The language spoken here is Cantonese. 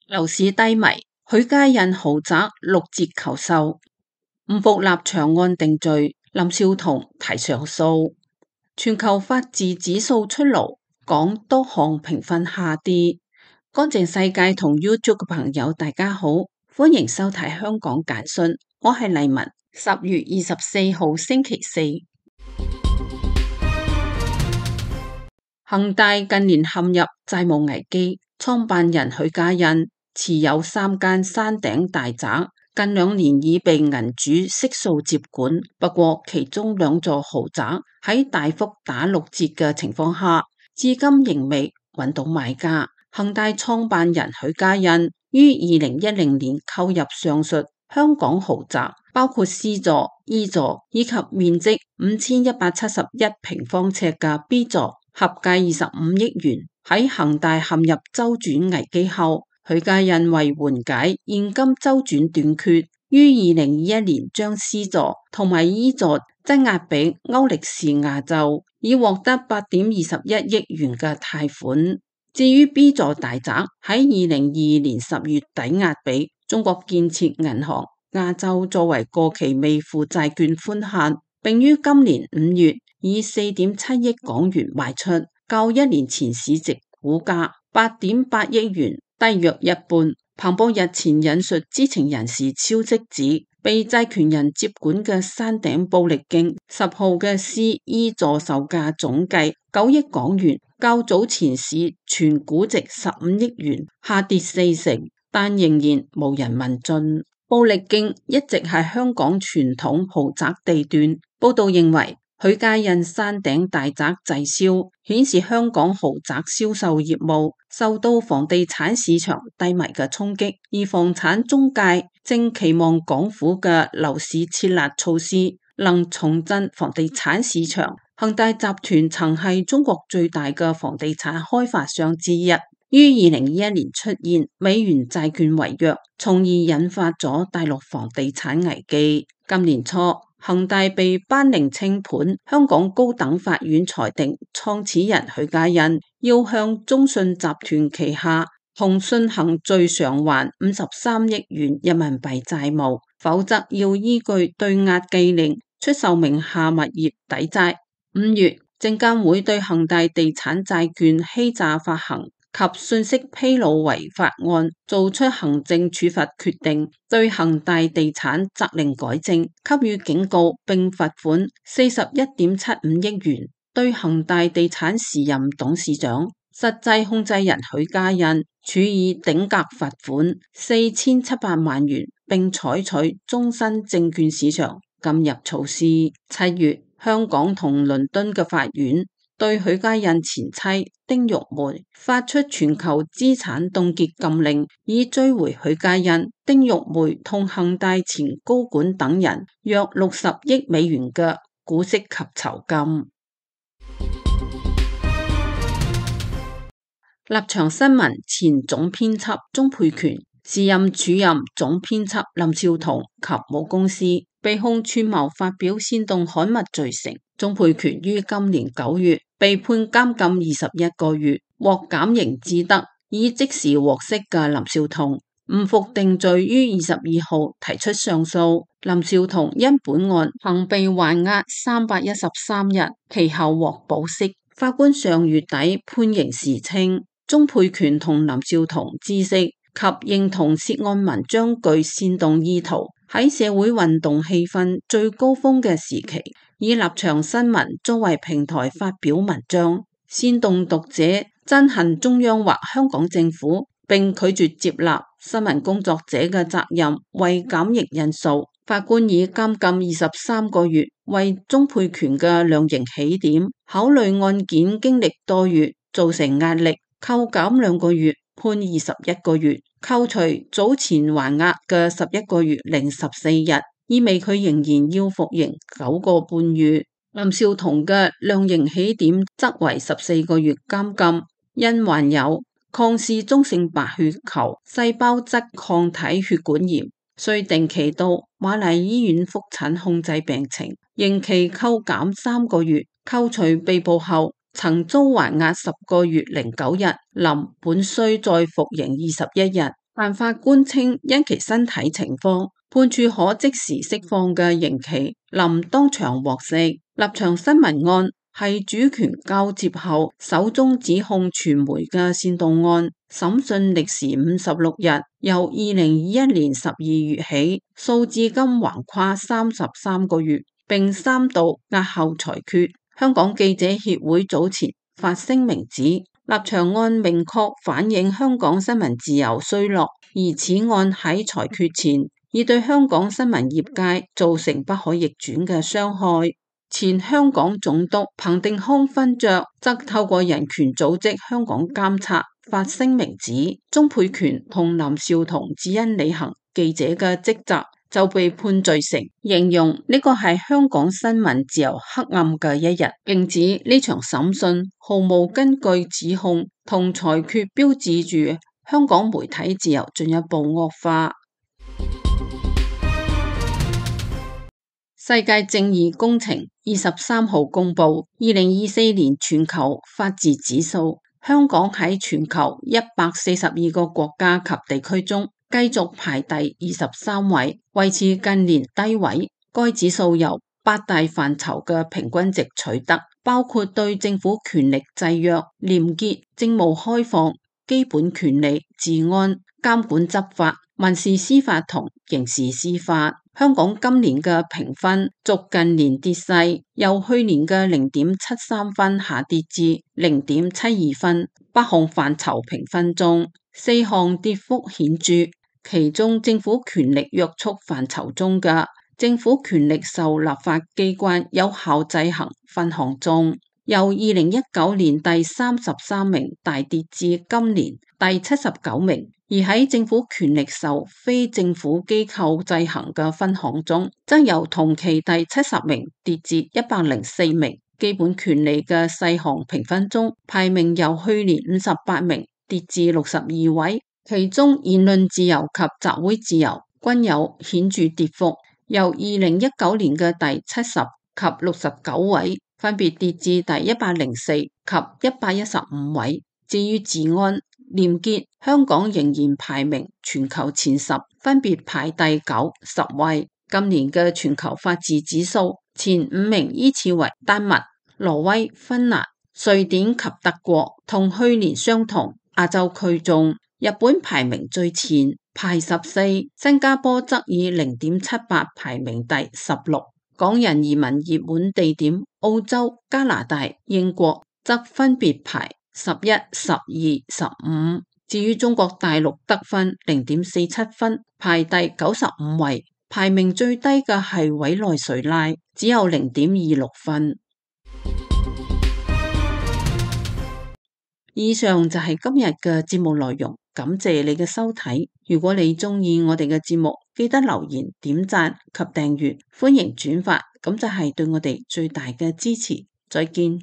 樓市低迷，許家印豪宅6折求售，唔服立場案定罪，林紹桐提上訴。全球法治指數出爐，港多項評分下跌。乾淨世界同 YouTube 嘅朋友大家好，歡迎收睇香港簡訊，我係麗文。10月24號星期四，恒大近年陷入債務危機，創辦人許家印持有3間山頂大宅，近2年已被銀主悉數接管。不過其中2座豪宅喺大幅打6折嘅情況下，至今仍未揾到買家。恒大創辦人許家印於2010年購入上述香港豪宅，包括 C 座、E 座以及面積5171平方尺嘅 B 座，合計25億元。喺恒大陷入周轉危機後，許家印為緩解現金周轉短缺，於2021年將 C 座同埋 E 座質押俾歐力士亞洲，以獲得8.21億元嘅貸款。至於 B 座大宅喺2022年10月抵押俾中國建設銀行亞洲作為過期未付債券寬限，並於今年5月以4.7億港元賣出，較1年前市值股價8.8億元低約一半。彭博日前引述知情人士消息指，被債權人接管嘅山頂布力徑10號嘅 C、E 座售價總計9億港元，較早前市全估值15億元下跌40%，但仍然無人問津。布力徑一直係香港傳統豪宅地段。報道認為，許家印山頂大宅滯銷，顯示香港豪宅銷售業務受到房地產市場低迷嘅衝擊，而房產中介正期望港府嘅樓市設立措施能重振房地產市場。恒大集團曾係中國最大嘅房地產開發商之一，於2021年出現美元債券違約，從而引發咗大陸房地產危機。今年初，恒大被頒令清盤，香港高等法院裁定創始人許家印要向中信集團旗下同信行最償還53億元人民幣債務，否則要依據對押記令出售名下物業抵債。5月，證監會對恒大地產債券欺詐發行及信息披露違法案做出行政處罰決定，對恒大地產責令改正，給予警告並罰款41.75億元。對恒大地產時任董事長、實際控制人許家印處以頂格罰款4700萬元，並採取終身證券市場禁入措施。7月，香港同倫敦嘅法院對許家印前妻丁玉梅發出全球資產凍結禁令，以追回許家印、丁玉梅同恒大前高管等人約60億美元嘅股息及酬金。立場新聞前總編輯鍾沛權、時任署任總編輯林紹桐及母公司被控串謀發表煽動刊物罪成。鍾沛權於今年9月被判監禁21個月，獲減刑至得，以即時獲釋嘅林紹桐唔服定罪，於22號提出上訴。林紹桐因本案曾被還押313日，其後獲保釋。法官上月底判刑時稱，鍾沛權同林紹桐知悉及認同涉案文章具煽動意圖，喺社會運動氣氛最高峰嘅時期，以立場新聞作為平台發表文章，煽動讀者憎恨中央或香港政府，並拒絕接納新聞工作者嘅責任為減刑因素。法官以監禁23個月為鍾沛權嘅量刑起點，考慮案件經歷多月造成壓力，扣減2個月，判21個月，扣除早前還押嘅11個月零14日，意味佢仍然要服刑9個半月。林紹桐嘅量刑起點則為14個月監禁，因患有抗視中性白血球細胞質抗體血管炎，需定期到瑪麗醫院覆診控制病情，刑期扣減3個月，扣除被捕後曾遭還押10個月零9日，林本需再服刑21日，但法官稱因其身體情況，判處可即時釋放嘅刑期，林當場獲釋。立場新聞案係主權交接後首宗指控傳媒嘅煽動案，審訊歷時56日，由2021年12月起，訴至今橫跨33個月，並3度押後裁決。香港記者協會早前發聲明指，立場案明確反映香港新聞自由衰落，而此案喺裁決前已對香港新聞業界造成不可逆轉嘅傷害。前香港總督彭定康勳爵則透過人權組織香港監察發聲明指，鍾沛權同林紹桐只因履行記者嘅職責就被判罪成，形容呢個係香港新聞自由黑暗嘅一日，並指呢場審訊毫無根據指控同裁決標誌住香港媒體自由進一步惡化。世界正義工程23號公布2024年全球法治指數，香港喺全球142個國家及地區中繼續排第23位，維持近年低位。該指數由8大範疇嘅平均值取得，包括對政府權力制約、廉潔、政務開放、基本權利、治安、監管執法、民事司法同刑事司法。香港今年嘅評分續近年跌勢，由去年嘅0.73分下跌至0.72分。8項範疇評分中，4項跌幅顯著，其中政府權力約束範疇中嘅政府權力受立法機關有效制衡分項中，由2019年第33名大跌至今年第79名。而喺政府權力受非政府機構制衡嘅分項中，則由同期第70名跌至104名。基本權利嘅細項評分中，排名由去年58名跌至62位，其中言論自由及集會自由均有顯著跌幅，由2019年嘅第70及69位，分別跌至第104及115位。至於治安、廉潔，香港仍然排名全球前10，分別排第9、10位。今年嘅全球法治指數前5名依次為丹麥、挪威、芬蘭、瑞典及德國，同去年相同。亞洲區中，日本排名最前，排14，新加坡則以0.78排名第16。港人移民熱門地點澳洲、加拿大、英國則分別排11、12、15。至於中國大陸得分0.47分，排第95位，排名最低嘅係委內瑞拉，只有0.26分。以上就係今日嘅節目內容，感謝你嘅收睇。如果你中意我哋嘅節目，記得留言、點讚及訂閱，歡迎轉發，咁就係對我哋最大嘅支持。再見。